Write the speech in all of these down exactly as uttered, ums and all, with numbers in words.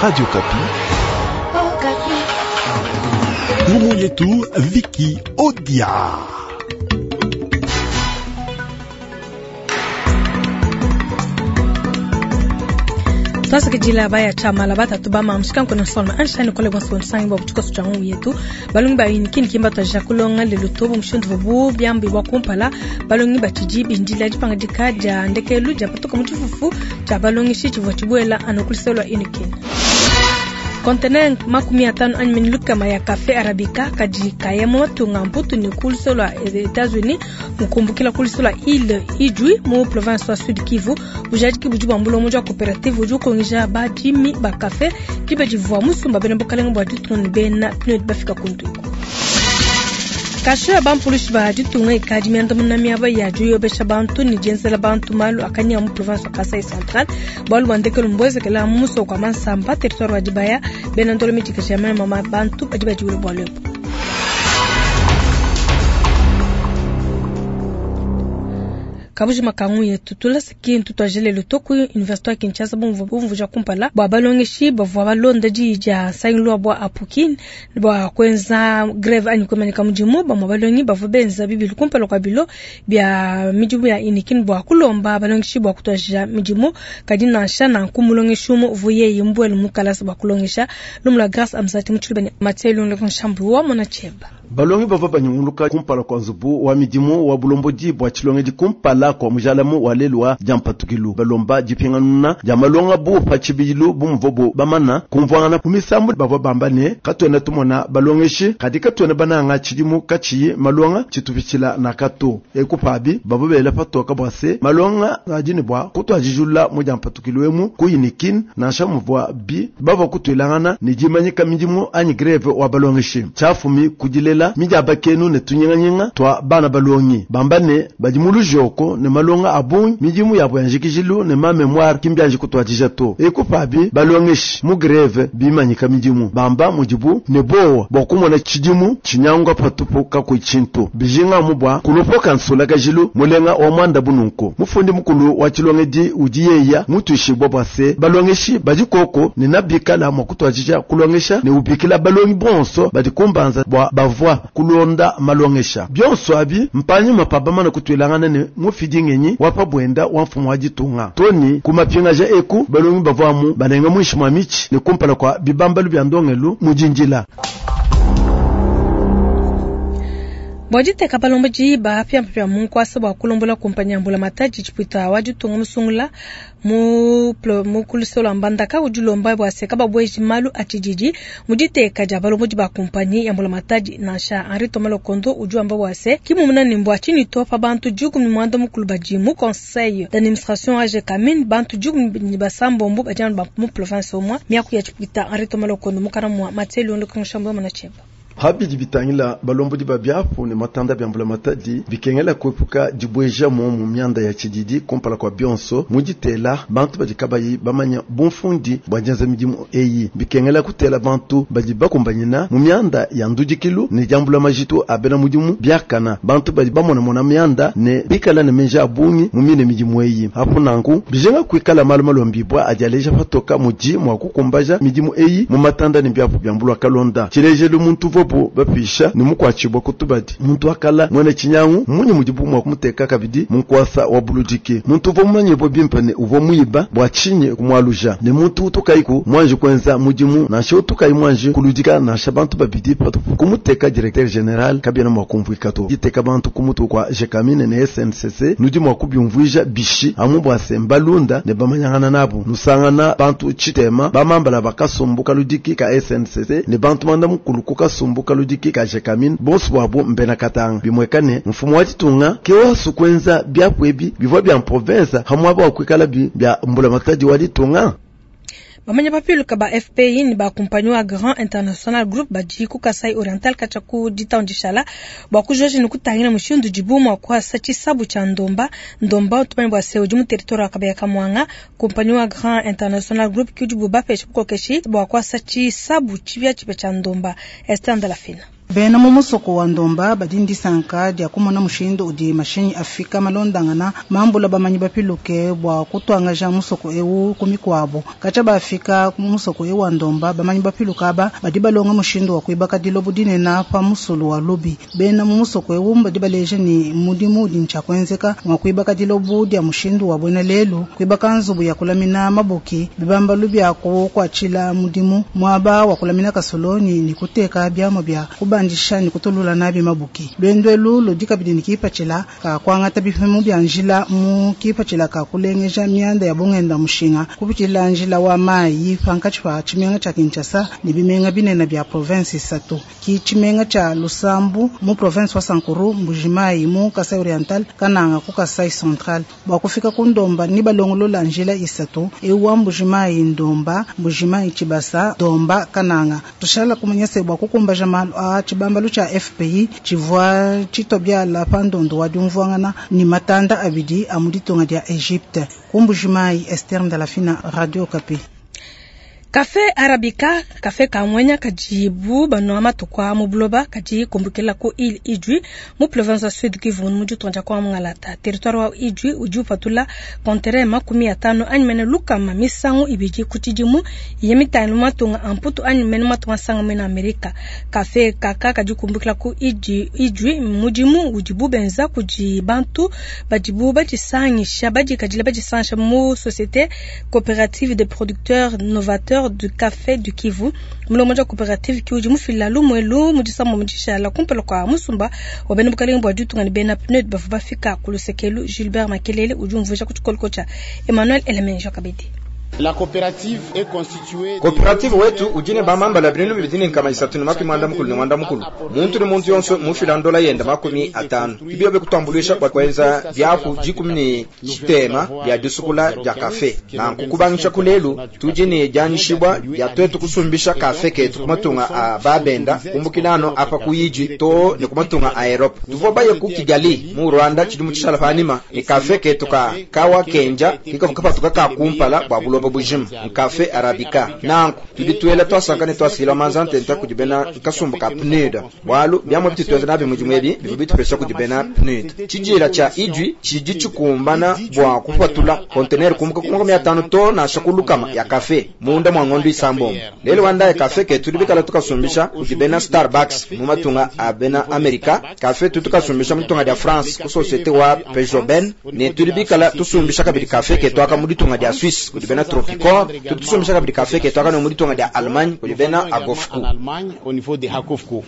Radio Okapi. Ngumu yetu Viki Odia. Twasakidila baya chamala batatu ba mamushika nkona solma anshani kole bonso nsangi bo butuko tsa ngu yetu balungi ba yini kimba twa kulonga lelo tobo mushindu bu byambi bwa kumpala balungi batiji bindila dipanga dika ndekelu dia patuka mutshifufu tsa balungi shi tshivua tshibuela anokuliselwa inikini kontenere makumi atano anyi minlukama ya kafe arabica kadi kayemo matunga mputu ni kulisolwa Etats-Unis mukumbukila kulisolwa ile Idjwi mu province wa Sud Kivu bujadiki budi bua mbulomo jwa coopérative udi ukongija badimi ba kafe diba divua musumba bena bukalenga bua ditunga ne bena P N U D bafika kuntuku. Kasho ya bampulushi ba ditunga ikadi miandamuna miaba ya diyobesha bantu ne dienzela bantu malu akanya mu province wa Kasai Central bualu bua ndekelu mbuezekela mu musoko wa Mansamba, territoire wa Dibaya. Bena ndolo midikisha mama bantu badi badiwule bualu ebu. Kabuji makangu yetu tulasa kintu twajelelo toku université ya Kinshasa bumvu bumvuja kumpala bua balongeshi bavua balonda diyi dia nsangilu bua apukin bua kuenza grève anyi kuimanyika mudimu. Bamue balongi bavua benza bibilu kumpala kua bilo bia midimu ya Unikin bua kulomba balongeshi bua kutuajija midimu, kadi nansha nanku mulongeshi umue uvua yeye mbuele mu kalasa bua kulongesha. Lumu la Grâce Amzati mu Mathieu Lungu Nshambu wa mona cheba. Balongi bavua banyunguluka kumpala kua nzubu wa midimu wa bulombodi bua tshilongedi kumpala kua mujalamu wa lelu wa diampatukilu, balomba dipinganuna dia malonga bu pa tshibidilu bu muvuabu bamana kumvuangana ku misambu. Bavua bamba ne katuena tumona balongeshi kadi katuena bananga tshidimu katshiyi malonga tshitupitshila na kato eku. Pabi bavua bela patoka bua se malonga adi ne bua kutuadijulula mu diampatukilu emu ku Unikin, nansha muvua bi bavua kutuilangana ne dimanyika midimu anyi grève wa balongeshi. Tshiafumi kudilela midiabakenu ne tunyinganyinga twa bana balongi bamba ne badi mu lujoko ne malonga a bungi midimu yabo ya njikijilu ne ma mémoire kimbianji kutuadija to. Eku pabi balongeshi mu grève bimanyika midimu, bamba mudibu ne bowa bua kumona tshidimu tshinyangwa patupu kakuyi tshintu bijinga mu bua kulopoka nsulakajilu mulenga wa mwanda bununku. Mufundi mukulu wa tshilongedi udi yeya mutuishibwa bua se balongeshi badi koko ne nabikala mua kutuadija kulongesha ne ubikila balongi bonso badi kumbanza bua bavua kulonda malongesha bionso abi mpanyima pa bamana kutuilangana ne mufidi ngenyi wa pabwenda wa mfumu wa ditunga toni kumapingaja eku balongi bavwamu balenga muinshi mwa mitshi ne kumpala kua bibambalu bya ndongelu mudindila. Bua diteka balombodi bapiapia mu nkuasa bua kulombola kumpanya ya mbulamatadi, tshipuita wa ditunga musungula mu mu kulusolo lua Mbandaka udi ulomba bua se kababueji malu a tshididi mu diteka dia balombodi ba kumpanyi ya mbulamatadi. Nansha Henri Thomas Lokondo udi wamba bua se kimumuna ne mbua tshinyi to pa bantu dikumi ne muanda mukulu badi mu conseil d'administration wa Gécamines, bantu dikumi ne basambombo badi anu ba mu province umue. Miaku ya tshipuita Henri Thomas Lokondo mukana mua Mathieu Lundo Kangshamba mona cheba. Habidi bitangila balombodi ba biapu ne matanda bya mbulamatadi bikengela kuepuka dibueja mu mu mianda ya tshididi kumpala kua bionso muditela bantu badi kabayi bamanya bumfundi bua dienza midimu eyi. Bikengela kutela bantu badi bakumbanyina mu mianda ya ndudikilu ne diambula majitu a bena mudimu biakana, bantu badi bamonamona mianda ne bikala ne menja a bungi mu mine midimu eyi. Apu nanku bijenga kuikala malu malombibwa adi aleja patoka mudi mua kukumbaja midimu eyi mu matanda ne biapu bya mbulwa kalonda. Tshilejelu muntu uvuabu bapisha ne mukuatshibwa kutubadi muntu akala mwene tshinyangu munyi mudibu mua kumuteka kabidi mu nkuasa wa buludiki. Muntu uvua mumanyibwa bimpe ne uvua muiba bua tshinyi kumualuja ne muntu utukayiku mwanji kuenza mudimu nansha utukayi mwanji kuludika nansha bantu babidi patupu kumuteka directeur général kabiena mua kumvuika to. Diteka bantu kumutu kua Gécamines ne S N C C nudi mua kubiumvuija bishi amu bua se mbalunda ne bamanyangana nabu nusangana bantu tshitema bamambala bakasumbu kaludiki ka S N C C ne bantu manda mukulu ku kasumbu kaludiki ka Gécamines bonso bwabo mbena katanga. Bimwekane mfumu wa ditunga ke wasu kuenza biapu ebi bivua bya province hamwaba wa kuikala bi bya mbulamatadi wa ditunga. Bamanya bapiluka ba F P I ni ba wa Grand International Group badi ku Kasai Oriental katshia ku ditandishala bua kujoji ni kutangila mushindu dibu mua kuasa tshisabu tshia Ndomba. Ndomba tumanye bua se udi mu territoire wa Kabeya Kamwanga. Kumpanyi wa Grand International Group ki udibu bapesha bukokeshi bua kuasa tshisabu tshipiatshipia tshia Ndomba. Esther Ndalafina. Bena mu musoko wa Ndomba badi ne disanka dia kumona mushindu udi mashinyi afika malondangana mambula bamanyi bapiluke bua kutuangaja musoko eu ku mikuabu. Katshia bafika mu musoko eu wa Ndomba, bamanyi bapiluke aba badi balonga mushindu wa kuibaka dilobo dinene pa musulu wa Lubi. Bena mu musoko eu badi baleja ne mudimu udi ntshia kuenzeka mua kuibaka dilobo dia mushindu wa buena lelu, kuibaka nzubu ya kulamina mabuki, bibambalu bia kukuatshila mudimu, muaba wa kulamina kasolonyi ne kuteka biamua bia kubandisha ne kutulula nabi mabuki. Lwendo elu ludi kabidi ne kipatshila ka kuangata bipimu bia njila mu kipatshila ka kulengeja mianda ya bungenda mushinga kupitshila njila wa mayi pankatshi pa tshimenga tshia Kinshasa ne bimenga binene bia province isatu ki tshimenga tshia Lusambu mu province wa Sankuru, Mbujimayi mu Kasai Oriental, Kananga ku Kasai Central. Bua kufika ku Ndomba ni balongolola njila isatu ewa Mbujimayi Ndomba, Mbujimayi Tshibasa, Ndomba Kananga. Tushala kumanya se bua kukumbaja malu a tshibambalu tshia F P I tshivua tshitobiala pa ndondo wa diumvuangana ni matanda abidi a mu ditunga dia Egypte. Ku Mbujimayi, Esther Ndalafina, Radio Okapi. Kafe Arabica, kafe kamwenya kajibu banwa matuku mu buloba kadi kumbukila ku ile Idjwi mu province ya Sud Kivu mu ditunga kwa Ngalata. Territoire wa Idjwi udi upatula kontere makumi atano anyi mene lukama misangu ibidi ku tshidimu ye mitano matunga amputu anyi mene matunga sanga mena Amerika. Kafe kaka kadi kumbukila ku Idjwi, Idjwi mudimu udibu benza kudi bantu badibu badisangisha badikadila badisangisha mu société coopérative des producteurs novateurs du café du Kivu. Mulomo wa coopérative ki udi mufila lumwelu mudisamo mudishala kumpala kwa musumba wa bena bukalenga bwa ditunga ne bena P N U D bavua bafika ku lusekelu. Gilbert Makelele udi umvuija ku tshikoloko tshia Emmanuel Elemenjo Kabedi. La coopérative est constituée Coopérative wetu ujine ba mamba la bintu bidini kama isatu ni makumi mwanda mukulu ni mwanda mukulu. Muntu ni muntu yonso mufila ndola yenda makumi atano. Ibyo be kutambulisha kwa kwenza byaku jikumi ni chitema ya disukula ya kafe. Na nkukubangisha kulelu tujine janishibwa ya twetu kusumbisha kafe ketu kumatunga a babenda kumbukilano apa kuyiji to ni kumatunga a Europe. Tuvo baye ku Kigali mu Rwanda chidimu chishala panima ni kafe ketu ka kawa kenja kikavukapatuka ka kumpala bwa buloba bujima nkafe arabica nanku tudi tuela twasanga ne twasila manzante nta kudibena nkasumbu ka P N U D bwalu byamwe bititweza nabi mujimu ebi bivu bitupesha kudibena P N U D chijila cha Idjwi chiji chikumbana bwa kupatula container kumuka kumaka mia tano to na shakulukama ya kafe munda mwa ngondo isambombo lelo wanda ya kafe ke tudi bikala tukasumbisha kudibena Starbucks mu matunga abena Amerika kafe tutukasumbisha mutunga dia France ku société wa Pejoben ne tudi bikala tusumbisha kabidi kafe ke twaka mu ditunga dia Suisse kudibena Tropicor tutusumbisha kabidi kafe ke twaka no mu ditunga dia Allemagne kudibena Agofku en Allemagne au niveau de Hakofku.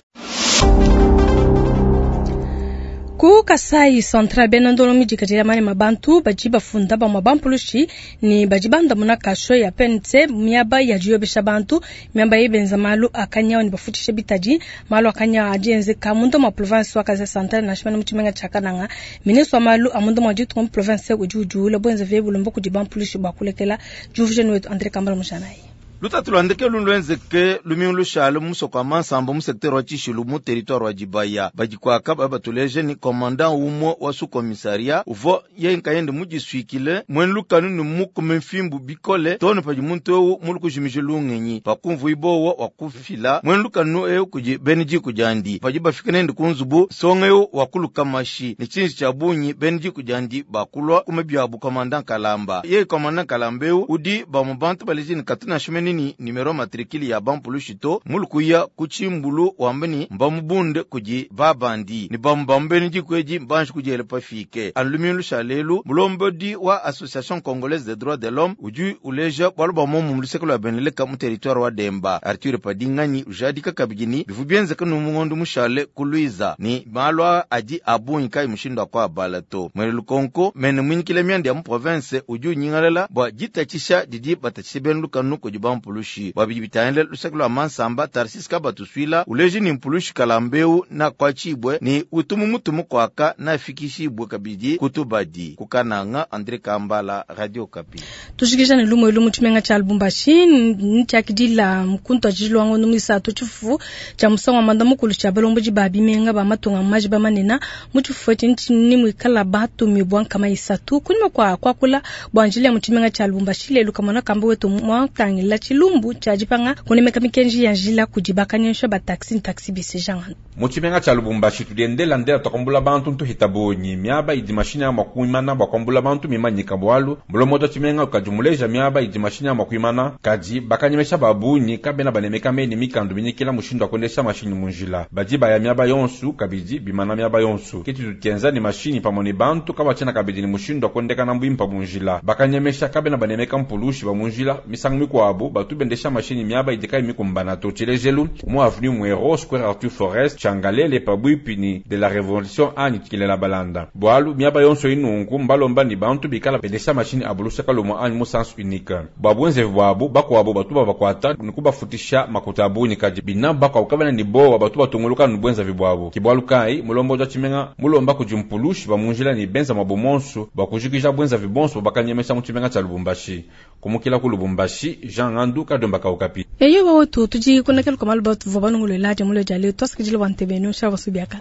Ku Kasai Central bena ndolo midikadila mane mabantu badi bafunda bamwa bampulushi ni badi bandamuna kasho ya P N C miaba ya diyobesha bantu miaba yebenza malu akanyawo ni bafutishe bitadi malu akanyawo adienzeka mundo mwa province wa Kasai Central na shimana mutshimenga tshia Kananga. Ministre wa malu a mundo mwa ditunga mu province udi udiula bwenza ve bulombo kudi bampulushi bua kulekela Juvijeni wetu André Kambala Mujanayi. Lutatu lwandeke lulwenzeke lumingu lushale musoko wa Mansamba mu secteur wa Tshishilu mu territoire wa Dibaya. Badikwaka ba batuleje ni commandant umwe wa sous commissariat uvo ye nkayende mujiswikile mwene lukanu ni mukume mfimbu bikole tone padi muntu ewu mulu kujimije lungenyi pakumvu ibowo wa kufila mwene lukanu ewu kuji bene jiku jandi padi bafika nende kunzubu songa ewu wakuluka mashi ni chinji cha bunyi bene jiku jandi bakulwa kume byabu commandant Kalamba ye commandant Kalamba ewu udi ba mubantu baleje ni katuna shimeni ni numero matricule ya bampulushito mulukuya kuchimbulu wambeni mbamubunde kuji babandi ni bambambeni jikweji mbanji kujele pafike anlumilu shalelu mulombodi wa Association Congolaise des droits de l'homme uju uleja bwalu ba momu mulusekelo ya beneleka mu territoire wa Demba Arthur Padinganyi ujadika kabigini bivu bienzeka nu mungondo mushale kuluiza ni malwa adi abunyi kai mushindo kwa balato mwele lukonko mene mwinikile myandi ya mu province uju nyingalela bwa jitachisha didi batachishe benu lukanu kuji bampulushi babidi bitangile lusekelo ya Mansamba Tarsis Kabatuswila uleji ni mpulushi kalambeu na kwa chibwe ni utumu mutumu kwaka na fikishibwe kabidi kutubadi kukananga André Kambala Radio Kapi. Tushikisha ni lumo ilumu tshimenga tsha Lubumbashi ntshiakidila mkuntu ajilwango numisatu tshifufu tsha musango wa manda mukulu tsha balomboji ba bimenga ba matunga maji ba manena mu tshifufu etshi ntshini muikala batumibwa nkama isatu kunyima kwa kwakula bwa njili ya mu tshimenga tsha Lubumbashi lelu kamona kamba wetu mwatangila tshilumbu tshia dipanga kunemeka mikenji ya njila kudi bakanyemesha ba taxi ne taxi bus Jean. Mu tshimenga tshia Lubumbashi tudiendela ndela tuakambula bantu ntuhita bunyi miaba idi mashini ya kuimana bua kuambula bantu mimanyika bualu mulomoto tshimenga ukadi muleja miaba idi mashini ya kuimana kadi bakanyemesha babunyi kabena banemeka meni mikandu minyikila mushindu wa kuendesha mashini munjila badi baya miaba yonsu kabidi bimana miaba yonsu kitu tukenza ni mashini pamwe ni bantu kabachena kabidi ni mushindu wa kuendekana mbwimpa munjila bakanyemesha kabena banemeka mpulushi ba munjila misangu mikwabu batu bendesha mashini miaba idi mikumbana to tshilejelu mu avenue Mwero square Arthur Forest changalele pabwipi ni de la révolution anyi kilela balanda bwalu miaba yonso inunku mbalomba ni bantu bikala bendesha mashini abulusha kalumwa anyi mu sens unique bwabwenze bwabu bakwabo batu babakwata nikubafutisha makuta abunyi kadi bina bakwabo kabena ni bowa batu batunguluka nubwenza vibwabu kibwalu kai mulombo ja tshimenga mulomba kudi mpulushi bamunjila ni benza mwabumonsu bwakujikija bwenza vibonso bakanyemesha mu tshimenga tshia Lubumbashi kumukila ku Lubumbashi Jean Ngandu kadomba kaukapi eyo bawetu tudi kunakela kwa malu batu vua banunguluela dia mulo dia leo tuasikidila bua ntebenu shava subiaka.